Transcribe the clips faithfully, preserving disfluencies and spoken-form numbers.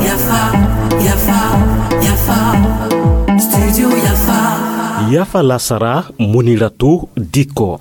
Yafa, Yafa, Yafa, Studio Yafa. Yafa lasara, Muniratu Dikko.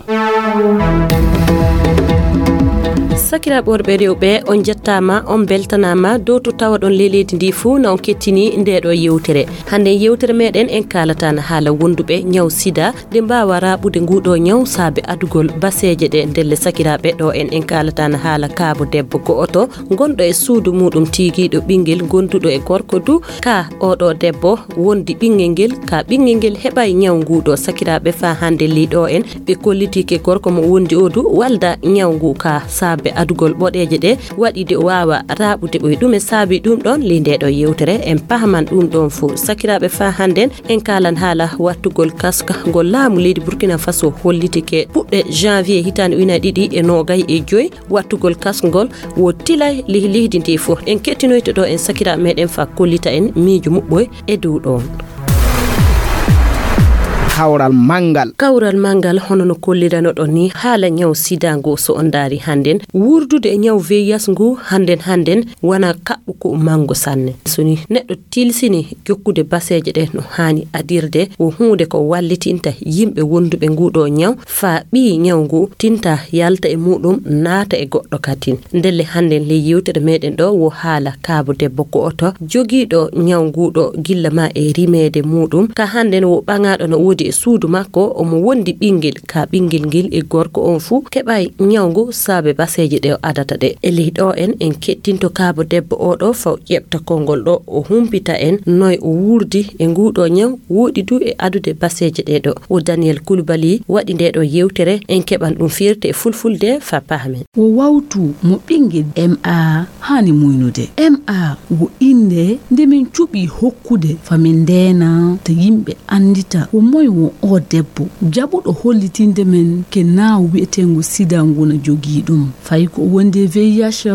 Sakiraaɓe worɓe e rewɓe, on njettaama, on mbeltanaama dow to tawaɗon ley leydi ndi fuu na on kettini nde ɗo yewtere. Hannde yewtere meɗen en kaalataana haala wonduɓe ñaw sida, nde mbaawa raaɓude nguɗo ñaw saabe adugol baseeje ɗe. Ndelle sakiraaɓe, ɗo en en kaalataana haala kaabo debbo go'oto ngonɗo e suudu muɗum tiigiiɗo ɓinngel gonduɗo e gorko du. Ka oɗo debbo wondi ɓinngel ngel, ka ɓinngel ngel heɓay ñaw nguɗo. Sakiraaɓe, faa hannde ley ɗo en ɓe kollitike gorko mo wondi o du walda ñaw ngu ka saabe adugol ɓoɗeeje ɗe, waɗi de o waawa raaɓude ɓoy. Ɗume saabi ɗum ɗon? Ley nde ɗo yewtere en pahaman ɗum ɗon fuu. Sakiraaɓe, faa hannden en kaalan haala wattugol kaska ngol laamu leydi Burkina Faso hollitike puɗɗe janvier hitaande ujunaaji ɗiɗi e noogay e joy. Wattugol kaska ngol wo tilay ley leydi ndi fuu. En kettinoyto ɗo en sakiraaɓe meɗen faa kollita en miijo muɓɓoy e dow ɗon. Kawral manngal. Kawral manngal, hono no kolliranoɗon ni, haala ñaw sida ngu, so on ndaari hannden, wurdude e ñaw V I H ngu hannden, hannden wana kaɓɓu ko manngo sanne. So ni neɗɗo tilsini jokkude baseeje ɗe no haani adirde, wo huunde ko wallitinta yimɓe wonduɓe nguɗo ñaw, faa ɓii ñaw ngu tinta yalta e muɗum, naata e goɗɗo katin. Ndelle hannden ley yewtere meɗen ɗo wo haala kaabo debbo go'oto jogiiɗo ñaw nguɗo gilla ma e rimeede muɗum. Ka hannden wo ɓaŋaaɗo no woodi e suudu makko, omo wondi ɓinngel, ka ɓinngel ngel e gorko on fuu keɓay ñaw ngu saabe baseeje ɗe o adata ɗe. E ley ɗo en, en kettinto kaabo debbo o ɗo faa o ƴeɓta konngol ɗo, o humpita en noy o wurdi e nguɗo ñaw, woɗi du e adude baseeje ɗe ɗo. O Daniel Koulibaly waɗi nde ɗo yewtere, en keɓan ɗum firte e fulfulde faa pahamen. Wo wawtu mo ɓinngel M A haani muynude. M A wo innde nde min cuɓi hokkude faa min ndeena ta yimɓe anndita ko moy wo o debbo jaɓuɗo hollitinde men ke naaw wi'eteengu sida ngu na jogii ɗum. Fay ko o wondi e V I H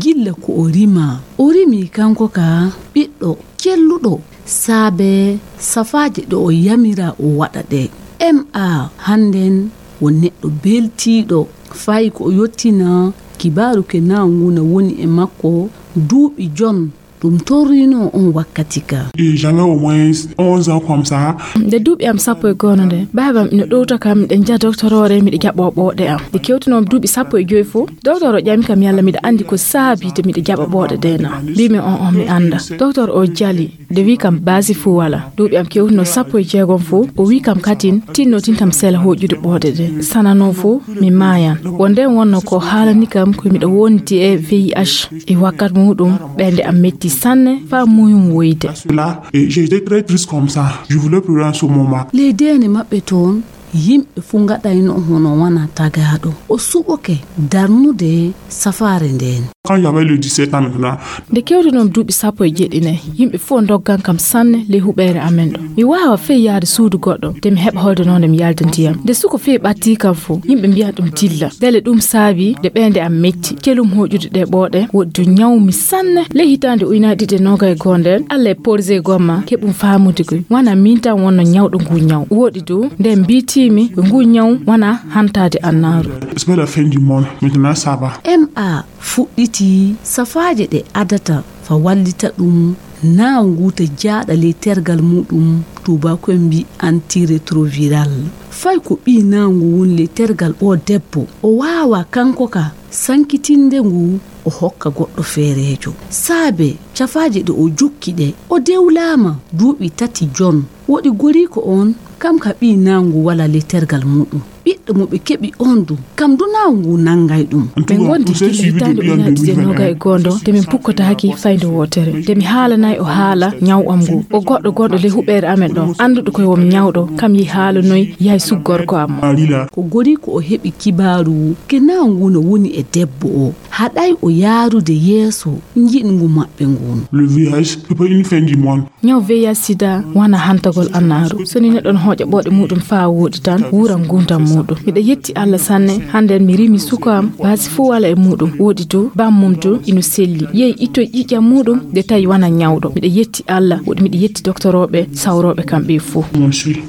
gilla ko o rimaa. O rimii kanko ka ɓiɗɗo celluɗo saabe safaaje ɗe o yamiraa o waɗa ɗe. M A hannden wo neɗɗo beltiiɗo, fay ko o yottina kibaaru ke naaw ngu na woni e makko duuɓi jon ɗum torrinoo on wakkati ka. Et j'avais au moins onze ans comme ça. Nde duuɓi am sappo e go'o nde, baaba am ina ɗowta kam, miɗo njaha doktor o, miɗo jaɓoo ɓooɗe am. Nde kewtinoo mi duuɓi sappo e joy fof, doktor o ƴami kam yalla miɗo anndi ko saabi de miɗo jaɓa ɓooɗe ɗe na. Mbiimi, "O'o, mi annda." Doktor o jali, nde wi kam baasi fuu walaa. Duuɓi am kewtinoo sappo e jeegom fof, o wi kam katin, tinno tintam sela hooƴude ɓooɗe ɗe. Sananoo fof, mi maayan. Wo ndeen wonnoo ko haalani kam ko miɗo wondi e V I H. E wakkati muɗum, ɓernde am metti sanne, faa muyum woyde. Cela, et j'étais très triste comme ça. Je voulais pleurer en ce moment. Ley deene maɓɓe toon, yimɓe fuu ngaɗayno hono wana tagaaɗo. O suɓoke darnude safaare ndeen. Quand j'avais le dix-sept ans maintenant. Nde kewtinoo mi duuɓi sappo e jeeɗiɗi ne, yimɓe fof ndoggan kam sanne ley huɓeere amen ɗo. Mi waawaa fey yahde suudu goɗɗo, de mi heɓa hoyde noon nde mi yalda ndiyam. Nde suko fey ɓattii kam fof, yimɓe mbiyan ɗum dilla. Mbele ɗum saabii nde ɓernde am metti, celum hooƴude ɗe ɓooɗe, woɗɗi du ñawmi sanne. Ley hitaande ujunaaji ɗiɗi e noogay e go'o ndeen, Alla e porosee gomma, keɓum faamude koy. Wanaa miin tan wonnoo ñawɗo ngu ñaw. Woɗɗi du, nde mbiitiimi ko ngu ñaw wanaa hantaade annaaru. C'est pas la fin du monde. Maintenant, ça va. M A fuɗɗiti safaaje ɗe adata faa wallita ɗum naaw ngu ta jaaɗa ley tergal muɗum, tuubaako'en mbii antirétroviral. Fay ko ɓii naaw ngu woni ley tergal o debbo, o waawaa kanko ka sankitinde ngu, o hokka goɗɗo feereejo. Saabe cafaaje ɗe o jokki ɗe, o dewlaama duuɓi tati jon. Woɗi goriiko oon, kam ka ɓii naaw ngu walaa ley tergal muɗum. Ɓiɗɗo mo ɓe keɓi oon du, kam du naaw ngu nanngay ɗum. Min ngondi gila hitaande ujunaaji ɗiɗi e noogay e go'o nde min pukkotaaki fayde wootere. Nde mi haalanay o haala ñaw am ngu. O goɗɗo gonɗo ley huɓeere amen ɗo, annduɗo koye won ñawɗo, kam yehi haalanoy, yahi suk gorko am. Ko goriiko o heɓi kibaaru ke naaw ngu no woni e debbo o. Haɗay o yaarude yeeso njiɗngu maɓɓe ngun. Le V I H, c'est pas une fin du monde. Ñaw V I H sida wona hantagol annaaru. So ni neɗɗo no hooƴa ɓooɗe muɗum faa wooɗi tan, wuuran nguurndam mum. Miɗo yetti Allah sanne, hannden mi rimi suka am, baasi fuu wala e muuɗum. Woodi du, bammum du, ino selli. Yehi ittoy ƴiƴam muuɗum, de tawi wana nyawɗo. Miɗo yetti Allah, woodi miɗo yetti doktorooɓe, sawrooɓe kamɓe fuu.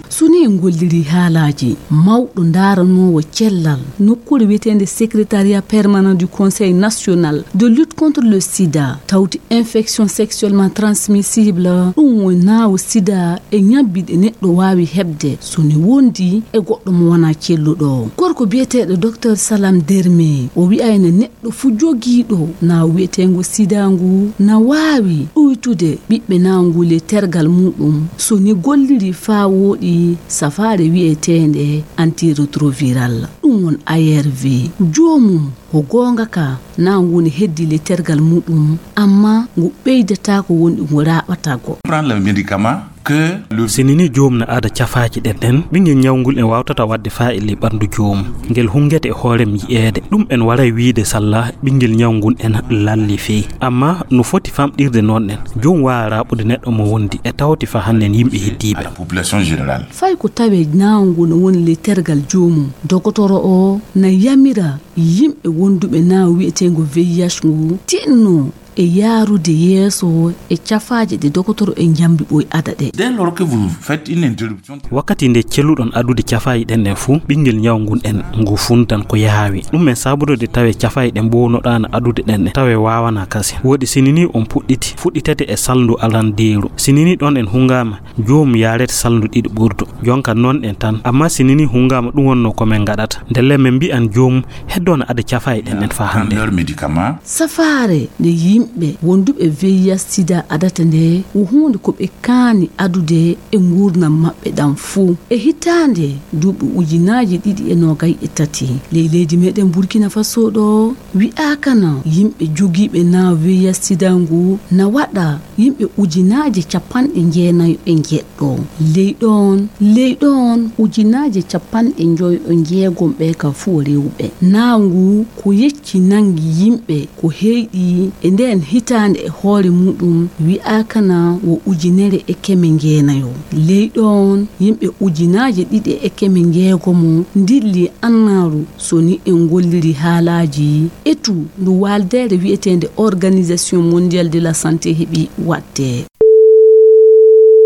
So ni en ngolliri haalaaji, mawɗo ndaaranoowo cellal nokkuure wiyeteende Secrétariat Permanent du Conseil National de lutte contre le sida, tawti infection sexuellement transmissible, ɗum woni naawo sida e ñabbi ɗe neɗɗo waawi heɓde so ni wondi e goɗɗo mo wonaa celluɗo. Gorko biyeteeɗo Docteur Salam Derme, o wi'ayno neɗɗo fuu jogiiɗo naawo wiyeteengo sida ngu na waawi ɗuytude ɓiɓɓe naawo ngu ley tergal muuɗum so ni golliri faa wooɗi safaare wiyeteende antirétroviral, ɗum woni A R V. Joomum, ko goonga ka, naawo ngu ne heddii ley tergal muuɗum, amma ngu ɓeydataako, woni ngu raaɓataako. Prendre le médicament que le Si ni ni joom na ada cafaaji ɗen ɗen, ɓinngel ñaw ngul en waawtata waɗde faa e ley ɓanndu joom. Ngel hunngete e hoore mum yi'eede. Ɗum en waray wiide salla ɓinngel ñaw ngun en lalli fey. Amma no foti famɗirde noon en, joom waawa raaɓude neɗɗo mo wondi e tawti faa hannden yimɓe heddiiɓe. À la population générale. Fay ko tawee naawo ngu no woni ley tergal joomum, dogotoro o na yamira yimɓe wonduɓe naawo wiyeteengo V I H ngu tinno e yaarude yeeso e cafaaje ɗe dogotoro en njambi ɓoy ada ɗe. Dès lors que vous faites une interruption. Wakkati nde celluɗon adude cafaaji ɗen ɗen fuu, ɓinngel ñaw ngun en ngu funtan ko yaawi. Ɗum en sabude de tawe cafaaji ɗe mbownoɗaana adude ɗen ɗen, tawe waawana kasi. Woodi si ni ni on puɗɗiti, fuɗɗitete e salndu arandeeru. Si ni ni ɗon en hungaama, joomum yaarete salndu ɗiɗi ɓurdu. Jonka noon en tan. Amma si ni ni hungaama, ɗum wonno ko men ngaɗata. Ndelle men mbi'an joomum heddo na ada cafaaji ɗen ɗen faa hannde. Prendre leur médicament. Safaare nde yimɓe wonduɓe V I H sida adata nde, ko huunde ko ɓe kaani adude e nguurndam maɓɓe ɗam fuu. E hitaande duuɓi ujunaaji ɗiɗi e noogay e tati, ley leydi meɗen Burkina Faso ɗo, wi'aaka na yimɓe jogiiɓe naawo V I H sida ngu na waɗa yimɓe ujunaaje capanɗe jeenayo e njeɗɗo. Ley ɗon, ley ɗon ujunaaje capanɗe njoyo e jeegom ɓe ka fuu rewɓe. Naawo ngu ko yecci nanngi yimɓe ko heyɗi e ndeen hitaande e hoore muuɗum, wi'aaka na wo ujunere e keme jeenayo. Ley ɗon, yimɓe ujunaaje ɗiɗi e keme jeegomo ndilli annaaru so ni en ngolliri haalaaji etu ndu waaldeere wiyeteende Organisation Mondiale de la Santé heɓi waɗde.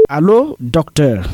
Allo, docteur.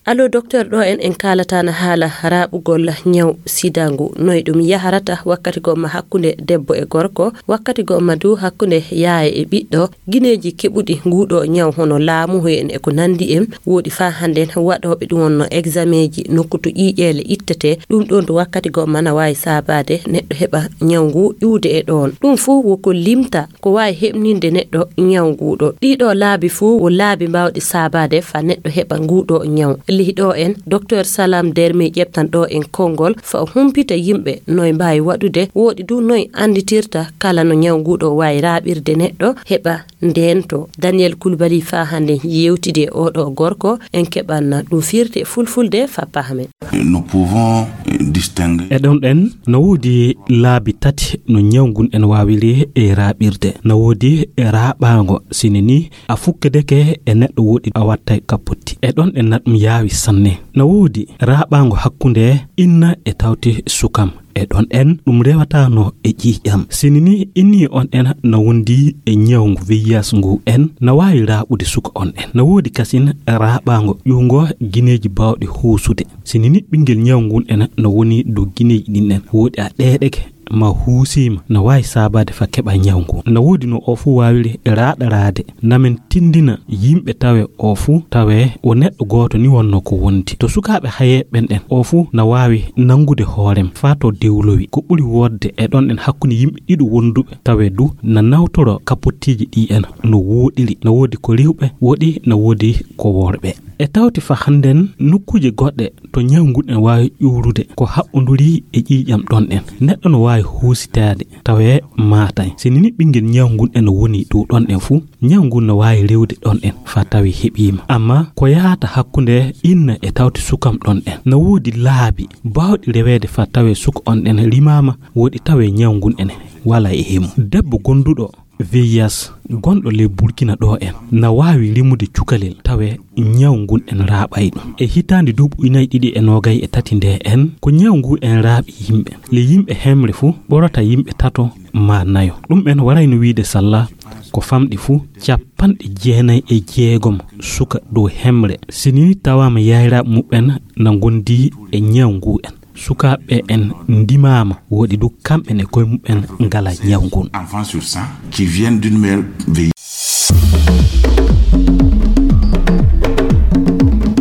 Allo, docteur, ɗo en, en kaalataana haala raaɓugol ñaw sida ngu, noy ɗum yaharata wakkati gomma hakkunde debbo e gorko, wakkati gomma du hakkunde yaaya e ɓiɗɗo, gineeji keɓuɗi nguuɗo ñaw hono laamu en e ko nanndi en, woodi faa hannden waɗooɓe ɗum wonno exameeji nokku to ƴiiƴeele ittete, ɗum ɗon to wakkati gomma na waawi saabaade neɗɗo heɓa ñaw ngu iwde e ɗoon. Ɗum fuu wo ko limta ko waawi heɓninde neɗɗo ñaw nguuɗo. Ɗiɗo laabi fuu wo laabi mbaawɗi saabaade faa neɗɗo heɓa nguuɗo ñaw. Ley ɗo en, Docteur Salam Dermi ƴeftan ɗo en konngol faa o humpita yimɓe noy mbaawi waɗude, woodi du noy annditirta kala no ñaw nguuɗo waawi raaɓirde neɗɗo heɓa ndeento. Daniel Koulibaly faa hannde yeewtidi e oɗo gorko, en keɓan ɗum firti e fulfulde faa pahamen. Nous pouvons distinguer. E ɗon ɗen, no woodi laabi tati no ñaw ngun en waawiri e raaɓirde. No woodi e raaɓaango, sini ni a fukkedeke e neɗɗo woɗɗi a wattay kapotti. E ɗon ɗen na ɗum yaawi sanne. No woodi raaɓaango hakkunde inna e tawti sukam. E ɗon ɗen ɗum rewataano e ƴiiƴam. Sini ni inni on ɗen no wondi e ñaw ngu V I H ngu en no waawi raaɓude suka on ɗen. No woodi kasin raaɓaango ƴuwngo gineeji baawɗi huusude. Sini ni ɓinngel ñaw ngun en no woni dow gineeji ɗin ɗen. Woodi a ɗeeɗeke ma huusiima no waawi saabaade fa keɓa ñaw ngu. No woodi no o fuu waawiri raaɗaraade. Namen tindina yimɓe tawe o fuu tawe o neɗɗo gooto ni wonno ko wondi. To sukaaɓe hayeeɓe ɓen ɗen o fuu na waawi nanngude hoorem faa to dewlowi. Ko ɓuri woodde e ɗon ɗen hakkunde yimɓe ɗiɗo wonduɓe tawe du na nawtoro kapottiiji ɗi en no wooɗiri. No woodi ko rewɓe woɗi, no woodi ko worɓe. E tawti fa hannden nokkuuje goɗɗe to ñaw ngun en waawi ƴuurude ko haɓɓonduri e ƴiiƴam ɗon ɗen. Neɗɗo no waawi huusitaade tawe maatay. Sini ni ɓinngel ñaw ngun en no woni dow ɗon ɗen fuu, ñaw ngun no waawi rewde ɗon ɗen faa tawi heɓiima. Amma ko yahata hakkunde inna e tawti sukam ɗon ɗen. No woodi laabi baawɗi reweede faa tawe suka on ɗen rimaama, woodi tawe ñaw ngun en wala e himo. Debbo gonduɗo V I H gonɗo ley Burkina ɗo en na waawi rimude cukalel tawe ñaw ngun en raaɓay ɗum. E hitaande duuɓi ujunaaji ɗiɗi e noogay e tati nde en, ko ñaw ngu en raaɓi yimɓe. Le yimɓe hemre fuu ɓorata yimɓe tato maa nayo. Ɗum en warayno wiide salla ko famɗi fuu capanɗe jeenay e jeegom suka dow hemre. Si nii tawaama yayraaɓe muɓɓen na ngondi e ñaw ngu en. Sukaaɓe en ndimaama, woɗi du kamɓe ne koye muɓɓen ngala ñaw ngun. Enfants sur cent qui viennent d'une mère V I H.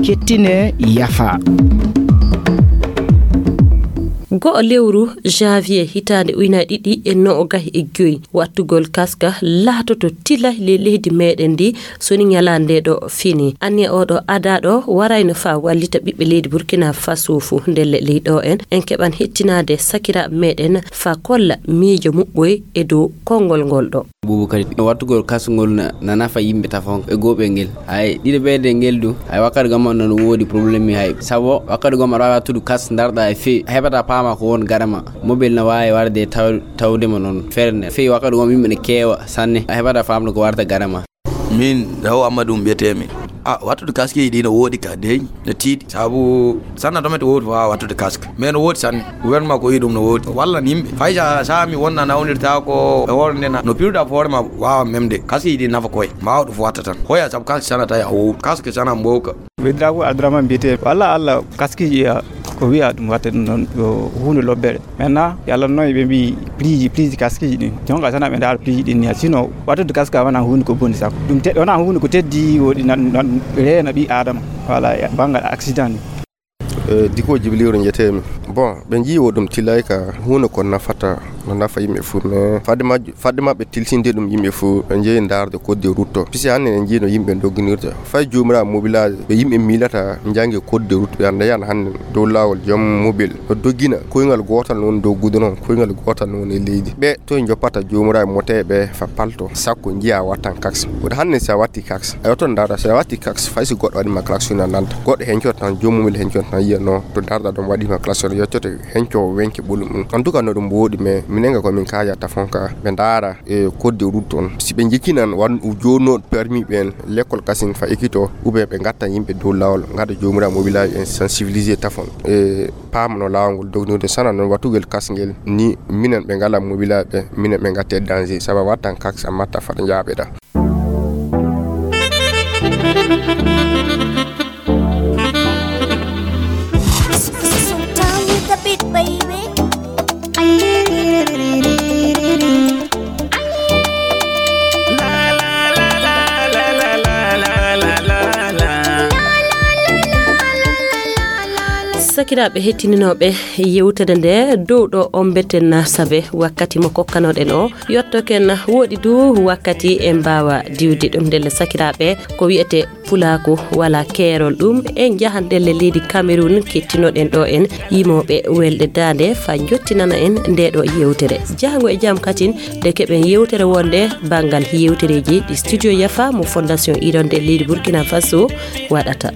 Kettine yafa. Go'o lewru janvier hitaande ujunaaji ɗiɗi e noogay e joy, wattugol kaska laatoto tilay ley leydi meɗen ndi, so ni ñalaande ɗo fini. Anniya oɗo adaaɗo warayno faa wallita ɓiɓɓe leydi Burkina Faso fuu. Ndelle ley ɗo en, en keɓan hettinaade sakiraaɓe meɗen faa kolla miijo muɓɓoy e dow konngol ngol ɗo. Bubu kadi, wattugol kas ngol na, na nafa yimɓe tafon e goɓe ngel. Hay ɗiɗo ɓeyde ngel du, hay wakkati goma non woodi problème hay. Sabo wakkati goma aɗa waawi wattude kas ndarɗa e fewi, a heɓata paama ko won gaɗa ma. Mobile na waawi warde taw-, tawde mo non ferne. Fewi wakkati goma yimɓe ne keewa sanne, a heɓata faamde ko warta gaɗa ma. Min, Daw Amadou mbiyetee mi. A, wattude kaskiji ɗi no woodi ka dey, no tiiɗi. Sabu sanna to mete woodi waawa wattude kask. Mais no woodi sanne. Gouvernement ko yi ɗum no woodi. Wallan yimɓe. Fay sa, sa mi wonna nawnirtaako e hoore nde na. No piruɗa ko hoore ma waawa memde. Kaskiji ɗi nafa koye. Mbaawa ɗum fof watta tan. Hoya sabu kask sana tawi a wowlu. Kask sana mbowka. Wedrago Abdourahmane mbiyetee. Walla Allah kaskiji, a, ko wiya ɗum watta ɗum noon, ko huunde lobbere. Maintenant, yalla noon ɓe mbi prix ji, prix ji kaskiji ɗin. Jonka tan aɓe ndaara prix ji ɗin ni. Sinon, wattude kaska wona huunde ko boni sako. Ɗum te-, wona huunde ko teddi woɗi nan, nan reena ɓi Adama. Voilà, e banngal accident ni. E, Diko Jibiliru njetemi. Bon, ɓe njiwo ɗum tilay ka huunde ko nafata, no nafa yimɓe fuu, mais fadde majju-, fadde maɓɓe tilsinde ɗum yimɓe fuu, ɓe njeyi ndaarde code de route to. Pisi hannde en njii no yimɓe dogginirta. Fay joomira mobilage, ɓe yimɓe miilata njangi code de route, ɓe annda yan hannde dow laawol joom mobile no doggina koyngal gootal noon dow gudron, koyngal gootal noon e leydi. Ɓe toye njoppata joomira mote ɓe fa palto, sakko njiya wattan kaks. Kono hannde si a watti kaks, a yotto ndaara si a watti kaks, fay si goɗɗo waɗi ma klaxon a nanta. Goɗɗo hencoto tan, joom mobile hencoto tan yiya no to ndaarɗa ɗon waɗi ma klaxon, yottoto henco wenke ɓolum ɗum. En tout cas no ɗum woodi, mais minen ga ko min kaaja tafon ka, ɓe ndaara e code de route on. Si ɓe jikkinan wan-, joonooɗo permis ɓen, lekkol kasin fa ekito, ou bien ɓe ngatta yimɓe dow laawol, ngada joomira mobilage en sensibilisé tafon. E paama no laawol ngol dognirde sana noon wattugol kasngel ni minen ɓe ngala mobilage ɓe, minen ɓe ngatte danger. Saba wattan kaks a matta fata njaaɓeɗa. Sakiraaɓe hettininooɓe yewtere nde, dow ɗo on mbetten saabe wakkati mo kokkanoɗen o yottoken, woɗi du wakkati en mbaawa diwde ɗum. Ndelle sakiraaɓe, ko wiyete pulaaku wala keerol, ɗum en njahan ndelle leydi Cameroun, kettinoɗen ɗo en yimooɓe welɗe daande fa jottinana en nde ɗo yewtere. Jahango e jam katin nde keɓen yewtere wonde banngal yewtereeji ɗi Studio Yafa mo Fondation Hirondelle leydi Burkina Faso waɗata.